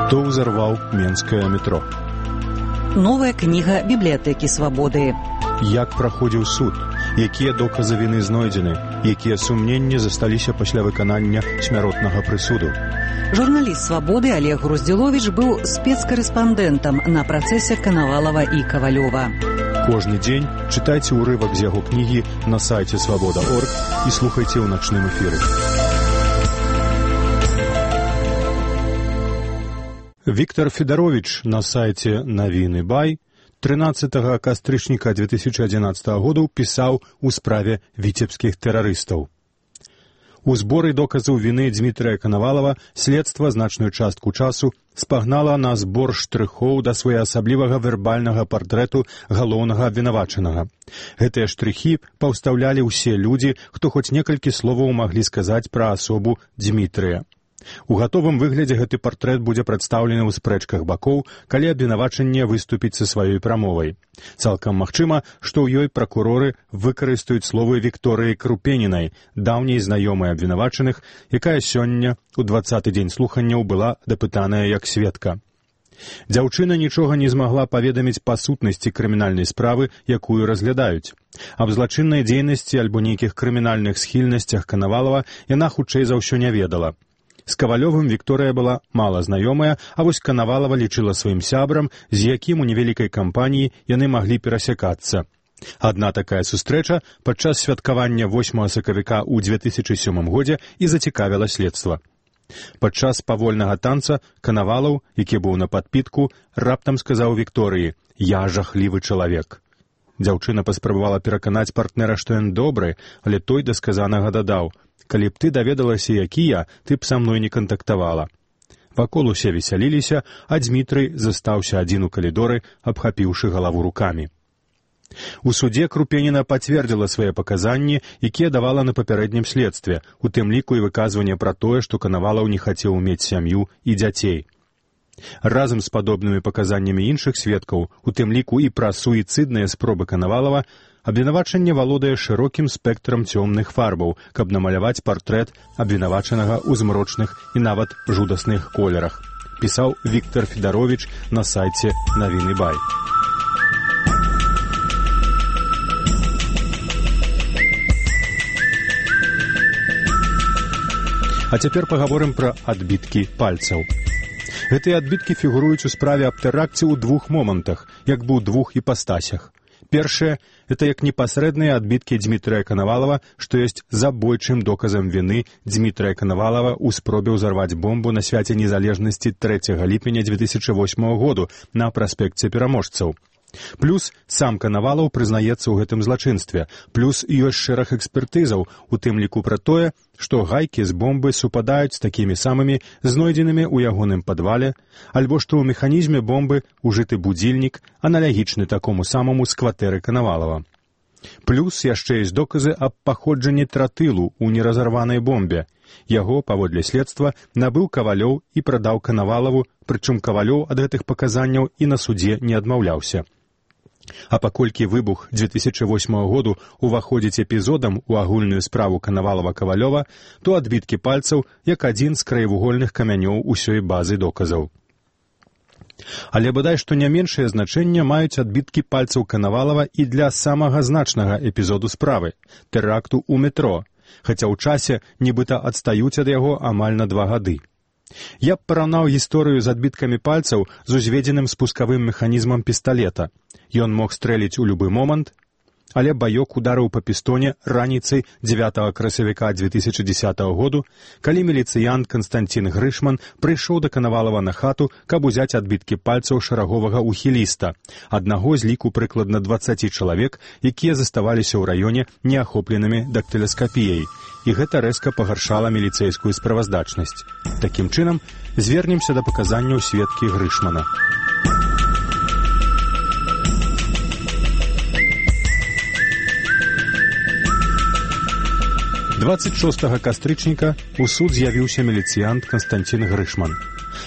Хто ўзарваў менскае метро? Новая кніга бібліятэкі свабоды. Як праходзіў суд? Якія доказы віны знойдзены? Якія сумненні засталіся пасля выканання смяротнага прысуду? Журналіст свабоды Олег Груздзіловіч быў спецкарэспандэнтам на працэсе Канавалава і Кавалёва. Кожны дзень чытайце ўрывак з яго кнігі на сайце свабода.орг і слухайце ў начным эфіры. Віктор Федарович на сайце Навіны Бай 13 кастрычніка 2011 году пісаў у справе віцебскіх тэрарыстаў. У зборы доказаў віны Дмітрия Канавалава следства значную частку часу спагнала на збор штрыхоў да своеасаблівага вербальнага партрэту галоўнага абвінавачанага. Гэтыя штрыхі паўстаўлялі ўсе людзі, хто хоць некалькі словаў маглі сказаць пра асобу Дмітрия. У гатовым выглядзе гэты партрэт будзе прадстаўлены ў спрэчках бакоў, калі абвінавачанне выступіць са сваёй прамовай. Цалкам магчыма, што ў ёй пракуроры выкарыстаюць словы Вікторыі Крупенінай, даўняй знаёмай абвінавачаных, якая сёння, у 20-й дзень слуханняў, была дапытаная як сведка. Дзяўчына нічога не змагла паведаміць па сутнасці крымінальнай справы, якую разглядаюць. Аб злачыннай дзейнасці альбо нейкіх крымінальных схільнасцях Канавалава яна хутчэй за ўсё не ведала. З Кавалёвым Вікторыя была мала знаёмая, а вось Канавалава лічыла сваім сябрам, з якім у невялікай кампаніі яны маглі перасякацца. Адна такая сустрэча падчас святкавання 8 сакавіка ў 2007 годзе і зацікавіла следства. Падчас павольнага танца Канавалаў, які быў на падпітку, раптам сказаў Вікторыі: «Я жахлівы чалавек». Дзяўчына паспрабавала пераканаць партнера, што ён добры, але той да сказанага дадаў: «Калі б ты даведалася, які я, ты б са мной не кантактавала». Вакол усе весяліліся, а Дмітрый застаўся адзін у калідоры, абхапіўшы галаву рукамі. У судзе Крупеніна пацвердзіла свае паказанні, якія давала на папярэднім следстве, у тым ліку і выказванне пра тое, што Канавалаў не хацеў мець сям'ю і дзяцей. Разам з падобнымі паказаннямі іншых сведкаў, у тым ліку і пра суіцыдныя спробы Канавалава, абвінавачанне валодае шырокім спектрам цёмных фарбаў, каб намаляваць партрэт абвінавачанага ў змрочных і нават жудасных колерах, пісаў Віктор Федарович на сайце Навіны Бай. А цяпер пагаворым пра адбіткі пальцаў. Гэтыя адбіткі фігуруюць у справе аб тэракце ў двух момантах, як бы ў двух іпастасях. Першае – это як непасрэдныя адбіткі Дмітрия Канавалава, што ёсць забойчым доказам віны Дмітрия Канавалава ў спробе ўзарваць бомбу на свяце незалежнасці 3 ліпеня 2008 году на праспекце Пераможцаў. Плюс сам Канавалаў прызнаецца ў гэтым злачынстве, плюс ёсць шэраг экспертызаў, у тым ліку пра тое, што гайкі з бомбы супадаюць з такімі самымі знойдзенымі ў ягоным падвале, альбо што ў механізме бомбы ужыты будзільнік, аналагічны такому самому з кватэры Канавалава. Плюс яшчэ ёсць доказы аб паходжанні тротылу ў неразарванай бомбе. Яго, паводле следства, набыў Кавалёў і прадаў Канавалаву, прычым Кавалёў ад гэтых паказанняў і на судзе не адмаўляўся. А паколькі выбух 2008 году уваходзіць эпізодам у агульную справу Канавалава-Кавалёва, то адбіткі пальцаў як адзін з краевугольных камянёў усёй базы доказаў. Але бадай што не меншае значэнне маюць адбіткі пальцаў Канавалава і для самага значнага эпізоду справы – тэракту ў метро, хаця ў часе нібыта адстаюць ад яго амаль на 2 гады. Я б параўнаў гісторыю з адбіткамі пальцаў з узведзеным спускавым механізмам пісталета. Ён мог стрэліць у любы момант, але баёк ударыў па пістоне раніцай 9 красавіка 2010 году, калі міліцыянт Канстанцін Грышман прыйшоў да Канавалава на хату, каб узяць адбіткі пальцаў шараговага ухіліста, аднаго з ліку прыкладна 20 чалавек, якія заставаліся ў раёне неахопленымі дактыласкапіяй, і гэта рэзка пагаршала міліцэйскую справаздачнасць. Такім чынам, звернемся да паказанняў сведкі Грышмана. – 26 кастрычніка у суд з'явіўся міліцыянт Канстанцін Грышман.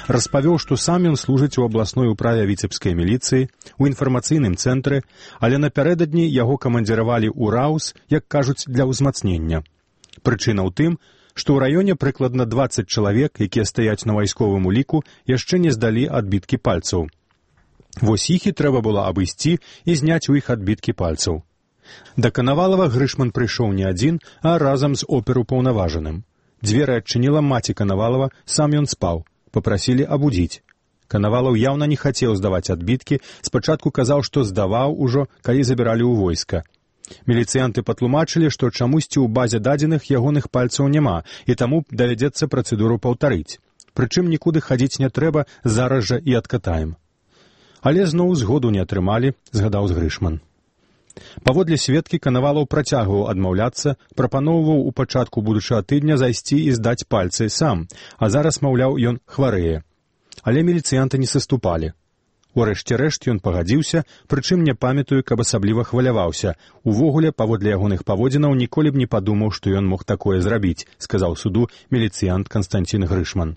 Распавёў, што сам ён служыць у абласной управе віцебскай міліцыі, у інфармацыйным цэнтры, але напярэдадні яго камандзіравалі ў РАУС, як кажуць, для ўзмацнення. Прычына ў тым, што ў раёне прыкладна 20 чалавек, якія стаяць на вайсковым уліку, яшчэ не здалі адбіткі пальцаў. Вось іх і трэба было абысці і зняць у іх адбіткі пальцаў. Да Канавалава Грышман прыйшоў не адзін, а разам з оперупаўнаважаным. Дзверы адчыніла маці Канавалава, сам ён спаў. Папрасілі абудзіць. Канавалаў яўна не хацеў здаваць адбіткі, спачатку казаў, што здаваў ужо, калі забіралі ў войска. Міліцыянты патлумачылі, што чамусьці ў базе дадзеных ягоных пальцаў няма, і таму давядзецца працэдуру паўтарыць. Прычым нікуды хадзіць не трэба, зараз жа і адкатаем. Але зноў згоду не атрымалі, згадаў Грышман. Паводле сведкі Канавалаў працягваў адмаўляцца, прапаноўваў у пачатку будучага тыдня зайсці і здаць пальцы сам, а зараз, маўляў, ён хварэе. Але міліцыянты не саступалі. Урэшце рэшт ён пагадзіўся, прычым не памятаю, каб асабліва хваляваўся. Увогуле, паводле ягоных паводзінаў, ніколі б не падумаў, што ён мог такое зрабіць, сказаў суду міліцыянт Канстанцін Грышман.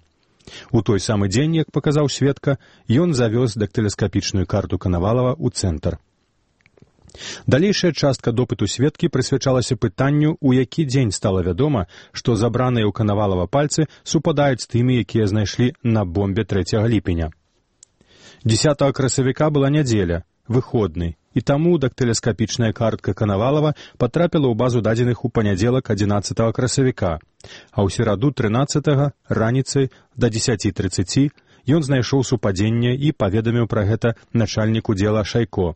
У той самы дзень, як паказаў сведка, ён завёз дактыласкапічную карту Канавалава ў цэнтр. Далейшая частка допыту сведкі прысвячалася пытанню, у які дзень стала вядома, што забраныя ў Канавалава пальцы супадаюць з тымі, якія знайшлі на бомбе 3 ліпеня. 10 красавіка была нядзеля, выходны, і таму дактыласкапічная картка Канавалава патрапіла ў базу дадзеных у панядзелак 11 красавіка, а ў сераду 13 раніцай да 10:30 ён знайшоў супадзенне і паведаміў пра гэта начальніку дзела Шайко.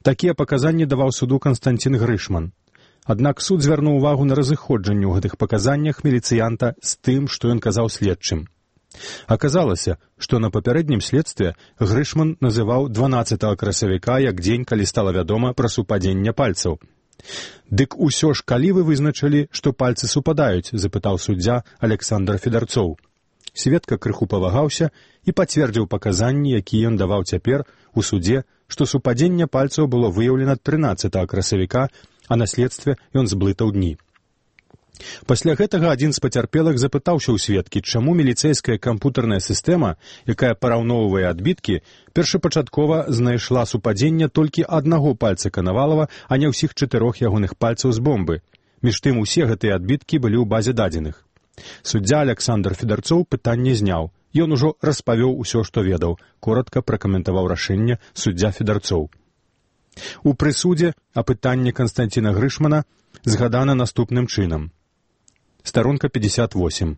Такія паказанні даваў суду Канстанцін Грышман. Аднак суд звярнуў увагу на разыходжанне ў гэтых паказаннях міліцыянта з тым, што ён казаў следчым. Аказалася, што на папярэднім следстве Грышман называў 12 красавіка як дзень, калі стала вядома пра супадзенне пальцаў. «Дык усё ж калі вы вызначылі, што пальцы супадаюць?» — запытаў суддзя Александр Федарцоў. Сведка крыху павагаўся і пацвердзіў паказанні, якія ён даваў цяпер у судзе, што супадзенне пальцаў было выяўлена 13 красавіка, а на следстве ён зблытаў дні. Пасля гэтага адзін з пацярпелых запытаўся ў сведкі, чаму міліцэйская кампутарная сістэма, якая параўноўвае адбіткі, першапачаткова знайшла супадзенне толькі аднаго пальца Канавалава, а не ўсіх 4 ягоных пальцаў з бомбы. Між тым усе гэтыя адбіткі былі ў базе дадзеных. Суддзя Александр Федарцоў пытанне зняў. Ён ужо распавёў усё, што ведаў, коратка пракаментаваў рашэнне суддзя Федарцоў. У прысудзе апытанне Канстанціна Грышмана згадана наступным чынам. Старонка 58.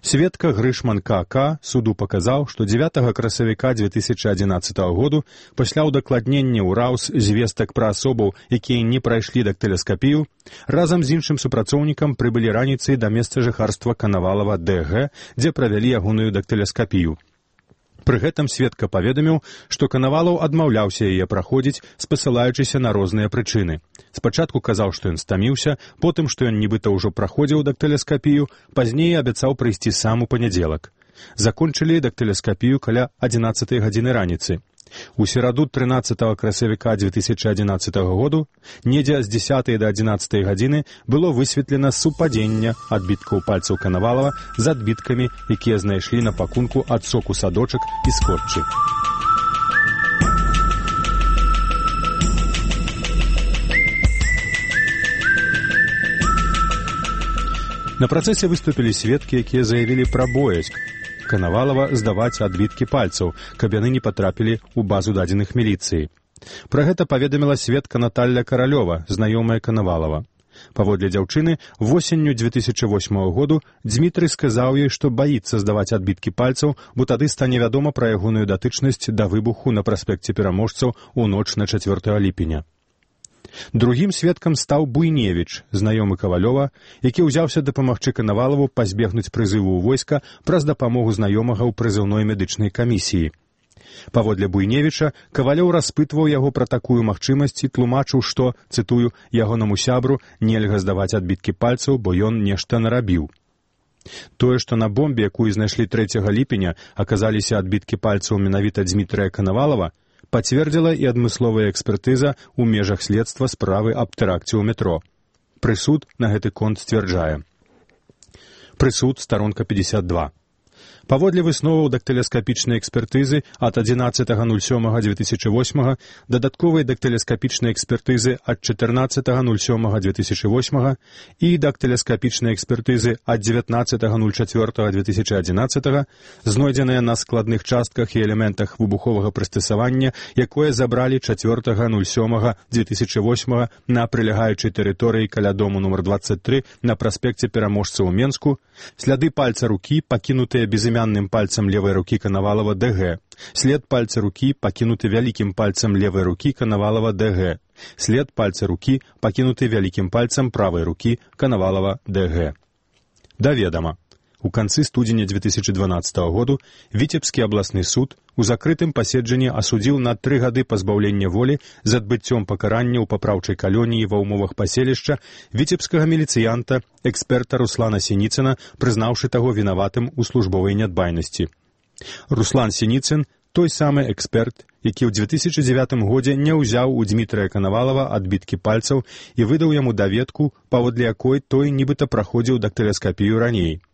Сведка Грышман К.К. суду паказаў, што 9 красавіка 2011 году пасля ўдакладнення ў РАУС звестак пра асобаў, якія не прайшлі дактыласкапію, разам з іншым супрацоўнікам прыбылі раніцай да месца жыхарства Канавалава Д.Г., дзе правялі ягоную дактыласкапію. Пры гэтым сведка паведаміў, што Канавалаў адмаўляўся яе праходзіць, спасылаючыся на розныя прычыны. Спачатку казаў, што ён стаміўся, потым, што ён нібыта ўжо праходзіў дактыласкапію, пазней абяцаў прыйсці сам у панядзелак. Закончылі дактыласкапію каля 11 гадзіны раніцы. У сераду 13 красавіка 2011 году, недзе з 10 да 11 гадзіны, было высветлена супадзенне адбіткаў пальцаў Канавалава з адбіткамі, якія знайшлі на пакунку ад соку садочак і скотчы. На працэсе выступілі сведкі, якія заявілі пра боязь Канавалава здаваць адбіткі пальцаў, каб яны не патрапілі ў базу дадзеных міліцыі. Пра гэта паведаміла сведка Наталля Каралёва, знаёмая Канавалава. Паводле дзяўчыны, восенню 2008 году Дзмітрый сказаў ёй, што баіцца здаваць адбіткі пальцаў, бо тады стане вядома пра ягоную датычнасць да выбуху на праспекце Пераможцаў у ноч на 4 ліпеня. Другім сведкам стаў Буйневіч, знаёмы Кавалёва, які ўзяўся дапамагчы Канавалаву пазбегнуць прызыву ў войска праз дапамогу знаёмага ў прызыўной медычнай камісіі. Паводле Буйневіча, Кавалёў распытваў яго пра такую магчымасць і тлумачыў, што, цытую, ягонаму сябру нельга здаваць адбіткі пальцаў, бо ён нешта нарабіў. Тое, што на бомбе, якую знайшлі 3 ліпеня, аказаліся адбіткі пальцаў менавіта Дзмітрыя Канавалава, пацвердзіла і адмысловая экспертыза ў межах следства справы аб тэракце ў метро. Прысуд на гэты конт сцвярджае. Прысуд, старонка 52. Паводле высноваў дактылескапічнай экспертызы ад 11.07.2008, дадатковай дактылескапічнай экспертызы ад 14.07.2008 і дактылескапічнай экспертызы ад 19.04.2011 знойдзеныя на складных частках і элементах выбуховага прыстасавання, якое забралі 4.07.2008 на прылягаючай тэрыторыі каля дому нумар 23 на праспекце Пераможца ў Менску, сляды пальца рукі, пакінутыя безымянным пальцам левой рукі Коновалова ДГ, след пальца рукі, пакінуты вялікім пальцам левой рукі Коновалова ДГ, след пальца рукі, пакінуты вялікім пальцам правой рукі Коновалова ДГ. Даведама. У канцы студзеня 2012 году Віцебскі абласны суд у закрытым паседжанні асудзіў на 3 гады пазбаўлення волі з адбыццём пакарання ў папраўчай калоніі ва ўмовах паселішча віцебскага міліцыянта, эксперта Руслана Сініцына, прызнаўшы таго вінаватым у службовай нядбайнасці. Руслан Сініцын — той самы эксперт, які ў 2009 годзе не ўзяў у Дмітрыя Коновалова адбіткі пальцаў і выдаў яму даведку, паводле якой той нібыта праходзіў дактылескапію раней.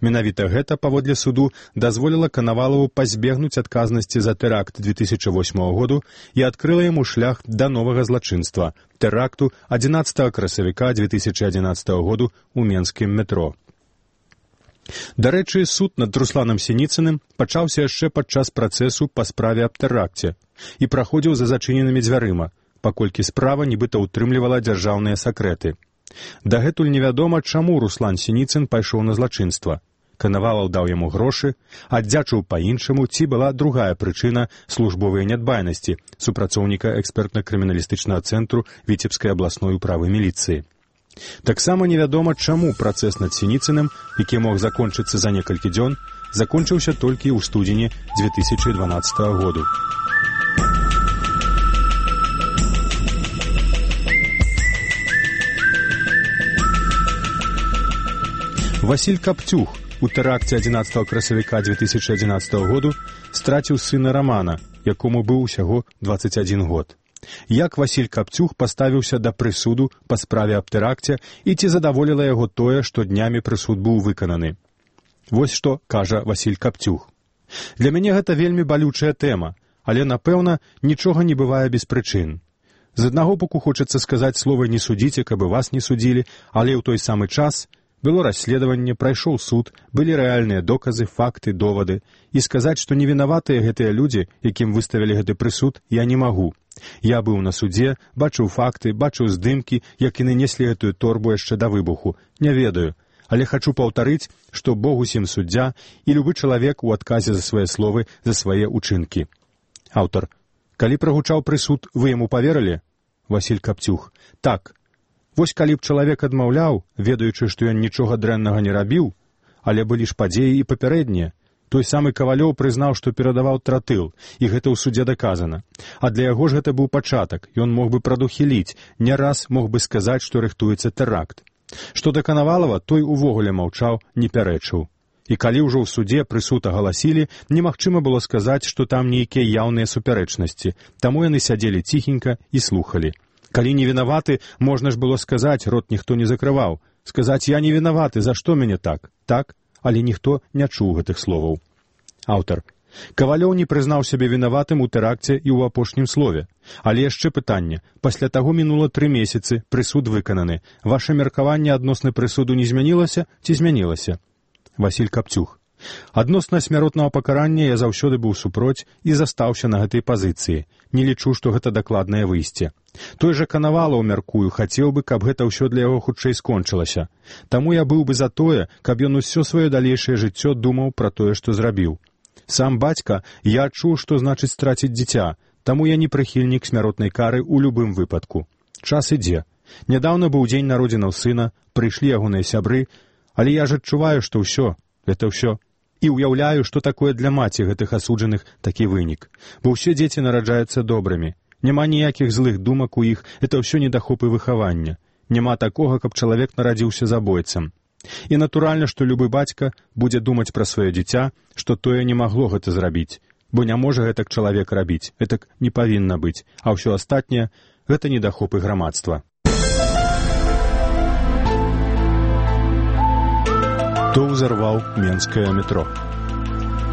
Менавіта гэта, паводле суду, дазволіла Коновалову пазбегнуць адказнасці за тэракт 2008 году і адкрыла яму шлях да новага злачынства — тэракту 11 красавіка 2011 году ў менскім метро. Дарэчы, суд над Русланам Сініцыным пачаўся яшчэ падчас працэсу па справе аб тэракце і праходзіў за зачыненымі дзвярыма, паколькі справа нібыта ўтрымлівала дзяржаўныя сакрэты. Дагэтуль невядома, чаму Руслан Сініцын пайшоў на злачынства. Коновалов даў яму грошы, аддзячыў па-іншаму, ці была другая прычына службовай нядбайнасці супрацоўніка экспертна-крыміналістычнага цэнтру Віцебскай абласной управы міліцыі. Таксама невядома, чаму працэс над Сініцыным, які мог закончыцца за некалькі дзён, закончыўся толькі ў студзені 2012 году. Васіль Капцюх у тэракце 11 красавіка 2011 году страціў сына Рамана, якому быў усяго 21 год. Як Васіль Капцюх паставіўся да прысуду па справе аб тэракце і ці задаволіла яго тое, што днямі прысуд быў выкананы? Вось што кажа Васіль Капцюх. Для мяне гэта вельмі балючая тэма, але, напэўна, нічога не бывае без прычын. З аднаго боку хочацца сказаць слова «не судзіце», каб і вас не судзілі, але ў той самы час было расследаванне, прайшоў суд, былі рэальныя доказы, факты, довады. І сказаць, што невінаватыя гэтыя людзі, якім выставілі гэты прысуд, я не магу. Я быў на судзе, бачыў факты, бачыў здымкі, як яны неслі гэтую торбу яшчэ да выбуху. Не ведаю. Але хачу паўтарыць, што Бог усім суддзя і любы чалавек у адказе за свае словы, за свае ўчынкі. Аўтар. Калі прагучаў прысуд, вы яму паверылі? Васіль Капцюх. Так. Вось калі б чалавек адмаўляў, ведаючы, што ён нічога дрэннага не рабіў, але былі ж падзеі і папярэднія. Той самы Кавалёў прызнаў, што перадаваў тротыл, і гэта ў судзе даказана. А для яго ж гэта быў пачатак, ён мог бы прадухіліць, не раз мог бы сказаць, што рыхтуецца тэракт. Што да Коновалова, той увогуле маўчаў, не пярэчыў. І калі ўжо ў судзе прысуд агаласілі, немагчыма было сказаць, што там нейкія яўныя супярэчнасці, таму яны сядзелі ціхенька і слухалі. Калі не вінаваты, можна ж было сказаць, рот ніхто не закрываў. Сказаць, я не вінаваты, за што мяне так? Так, але ніхто не чуў гэтых словаў. Аўтар. Кавалёў не прызнаў сябе вінаватым у тэракце і ў апошнім слове. Але яшчэ пытанне. Пасля таго мінула 3 месяцы, прысуд выкананы. Ваша меркаванне адносна прысуду не змянілася ці змянілася? Васіль Капцюх. Адносна смяротнага пакарання я заўсёды быў супроць і застаўся на гэтай пазіцыі. Не лічу, што гэта дакладнае выйсце. Той жа Коновалов, мяркую, хацеў бы, каб гэта ўсё для яго хутчэй скончылася. Таму я быў бы за тое, каб ён усё сваё далейшае жыццё думаў пра тое, што зрабіў. Сам бацька, я адчуў, што значыць страціць дзіця, таму я не прыхільнік смяротнай кары ў любым выпадку. Час ідзе. Нядаўна быў дзень народзінаў сына, прыйшлі ягоныя сябры, але я ж адчуваю, што ўсё, гэта ўсё. І ўяўляю, што такое для маці гэтых асуджаных такі вынік. Бо ўсе дзеці нараджаюцца добрымі. Няма ніякіх злых думак у іх, это ўсё недахопы выхавання. Няма такога, каб чалавек нарадзіўся забойцам. І натуральна, што любы бацька будзе думаць пра сваё дзіця, што тое не магло гэта зрабіць. Бо не можа гэтак чалавек рабіць, гэтак не павінна быць, а ўсё астатняе — гэта недахопы грамадства. Хто ўзарваў менскае метро?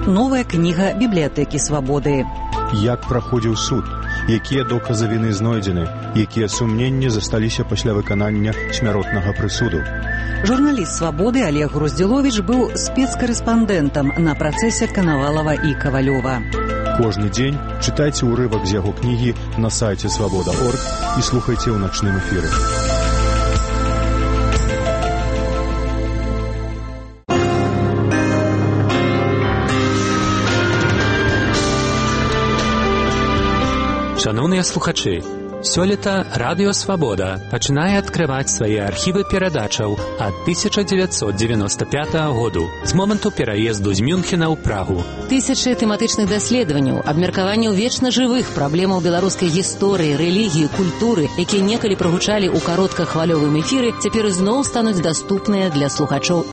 Новая кніга бібліятэкі свабоды. Як праходзіў суд, якія доказы віны знойдзены, якія сумненні засталіся пасля выканання смяротнага прысуду. Журналіст свабоды Олег Груздзіловіч быў спецкарэспандэнтам на працэсе Канавалава і Кавалёва. Кожны дзень чытайце ўрывак з яго кнігі на сайце свабода.орг і слухайце ў начным эфіры. Шановныя слухачы, сёлета Радыё Свабода пачынае адкрываць свае архівы перадачаў ад 1995 году, з моманту пераезду з Мюнхена ў Прагу. Тысячы тэматычных даследаванняў, абмеркаванняў вечна жывых праблемаў беларускай гісторыі, рэлігіі, культуры, якія некалі прагучалі ў кароткахвалёвым эфіры, цяпер ізноў стануць даступныя для слухачоў